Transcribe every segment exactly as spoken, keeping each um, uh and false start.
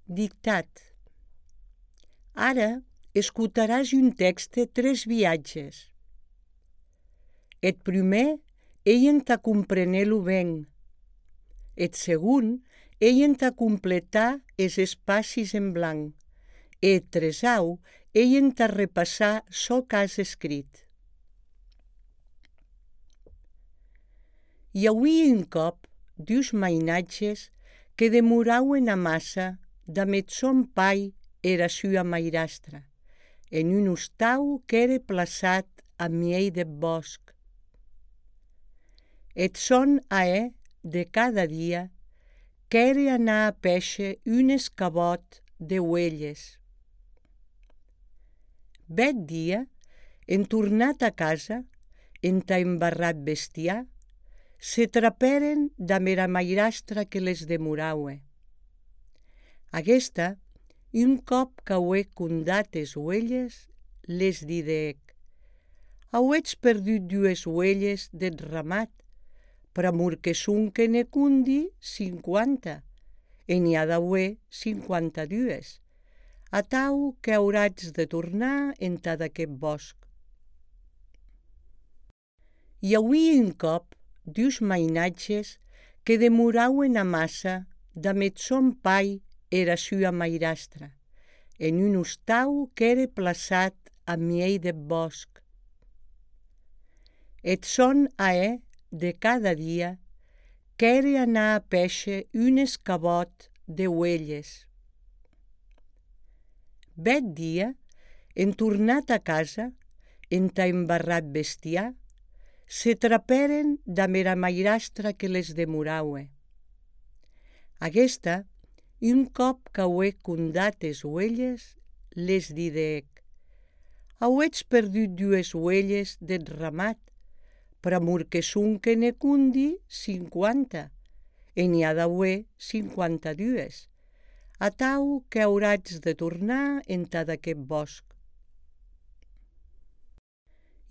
Dictat. Ara escutaràs un text de tres viatges. Eth primer ei entà comprenèlo ben. Eth segon ei entà completar es espacis en blanc. E eth tresau ei entà repassar çò qu'has escrit. I auie un còp dus mainatges que demorauen a massa damb sòn pair era sua mairastra, en un ostau qu'ère plaçat a miei deth bòsc. Eth sòn ahèr de cada dia qu'ère anar a pécher un escabòt de uelhes. Bèth dia, en tornat a casa, entà embarrar eth bestiar, se trapèren damb era mairastra que les demoraue. Aguesta, un còp qu'aué condat es uelhes, les didec: «Auetz perdut dues uelhes deth ramat, pr'amor que sonque ne condi cinquanta, e n'i a d'auer cinquanta-dues, atau qu'auratz de tornar entad aqueth bòsc.» I auie un còp dus mainatges que demorauen a massa damb sòn pair era sua mairastra, en un ostau qu'ère plaçat a miei deth bòsc. Eth sòn ahèr de cada dia qu'ère anar a pécher un escabòt de uelhes. Bèth dia, en tornat a casa, entà embarrar eth bestiar, se trapèren damb era mairastra que les demoraue. Aguesta, un còp qu'aué condat es uelhes, les didec: «Auetz perdut dues uelhes deth ramat, pr'amor que sonque ne condi cinquanta, e n'i a d'auer cinquanta-dues, atau qu'auratz de tornar entad aqueth bòsc.»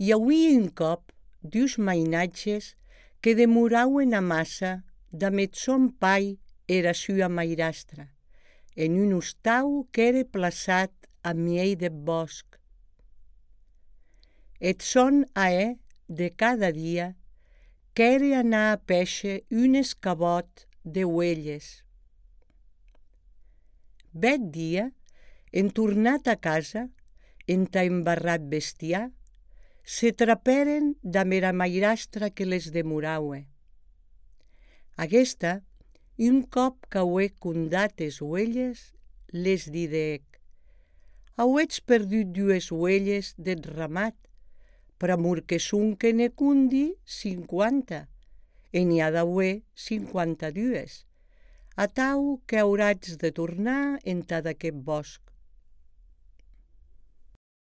I auie un còp dus mainatges que demorauen a massa damb sòn pair era sua mairastra, en un ostau qu'ère plaçat a miei deth bòsc. Eth sòn ahèr de cada dia qu'ère anar a pécher un escabòt de uelhes. Bèth dia, en tornat a casa, entà embarrar eth bestiar, se trapèren damb era mairastra que les demoraue. Aguesta, un còp qu'aué condat es uelhes, les didec: «Auetz perdut dues uelhes deth ramat, pr'amor que sonque ne condi cinquanta, e n'i a d'auer cinquanta-dues, atau qu'auratz de tornar entad aqueth bòsc.»